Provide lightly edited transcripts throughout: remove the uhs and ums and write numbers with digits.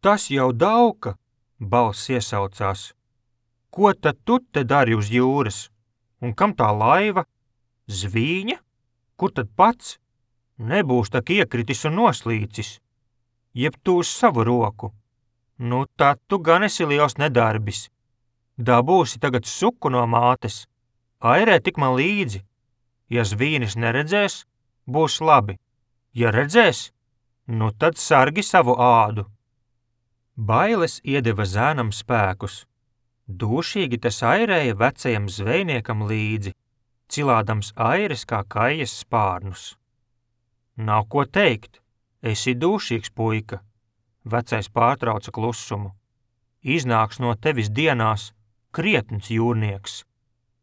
Tas jau Dauka, balss iesaucās. Ko tad tu te dari uz jūras? Un kam tā laiva? Zvīņa? Kur tad pats? Nebūs tak iekritis un noslīcis. Jeb tu uz savu roku. Nu tad tu gan esi liels nedarbis. Dabūsi tagad suku no mātes. Airē tik man līdzi. Ja zvīnis neredzēs, būs labi. Ja redzēs, nu tad sargi savu ādu. Bailes iedeva zēnam spēkus. Dūšīgi tas airēja vecajam zvejniekam līdzi, cilādams aires kā kaijas spārnus. Nav ko teikt, esi dūšīgs puika, vecais pārtrauca klusumu. Iznāks no tevis dienās krietns jūrnieks,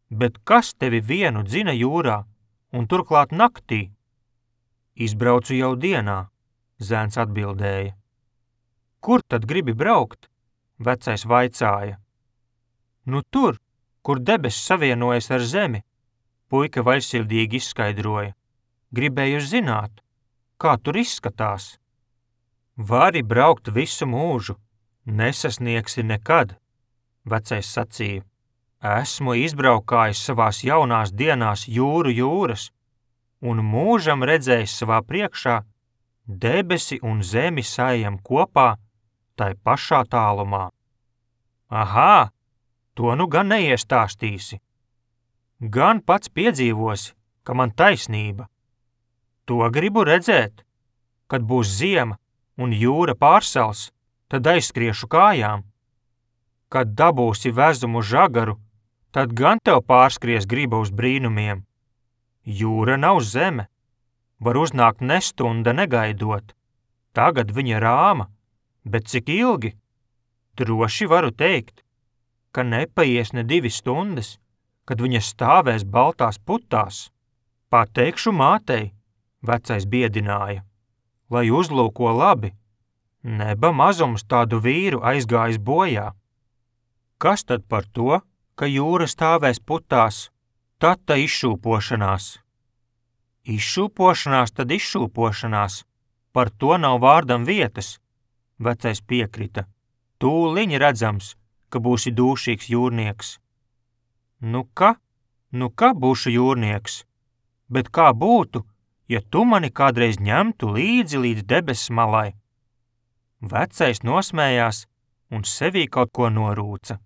bet kas tevi vienu dzina jūrā un turklāt naktī? Izbraucu jau dienā, zēns atbildēja. Kur tad gribi braukt? Vecais vaicāja. Nu tur, kur debesis savienojas ar zemi, puika vaļsirdīgi izskaidroja. Gribēju zināt, kā tur izskatās. Vari braukt visu mūžu, nesasniegsi nekad, vecais sacīja. Esmu izbraukājis savās jaunās dienās jūras, un mūžam redzējis savā priekšā debesi un zemi saejam kopā tai pašā tālumā. Ahā, to nu gan neiestāstīsi. Gan pats piedzīvosi, ka man taisnība. To gribu redzēt, kad būs ziema un jūra pārsals, tad aizskriešu kājām. Kad dabūsi vezumu žagaru, tad gan tev pārskries griba uz brīnumiem. Jūra nav zeme, var uznākt nestunda negaidot. Tagad viņa rāma, bet cik ilgi? Droši varu teikt, ka nepaies ne 2 stundas, kad viņa stāvēs baltās putās. Pateikšu mātei, vecais biedināja, lai uzlūko labi, neba mazums tādu vīru aizgājis bojā. Kas tad par to, ka jūra stāvēs putās, tad ta izšūpošanās? Izšūpošanās tad izšūpošanās, par to nav vārdam vietas, vecais piekrita. Tūliņ redzams, ka būsi dūšīgs jūrnieks. Nu ka būšu jūrnieks, bet kā būtu, ja tu mani kādreiz ņemtu līdzi līdz debesis malai? Vecais nosmējās un sevī kaut ko norūca.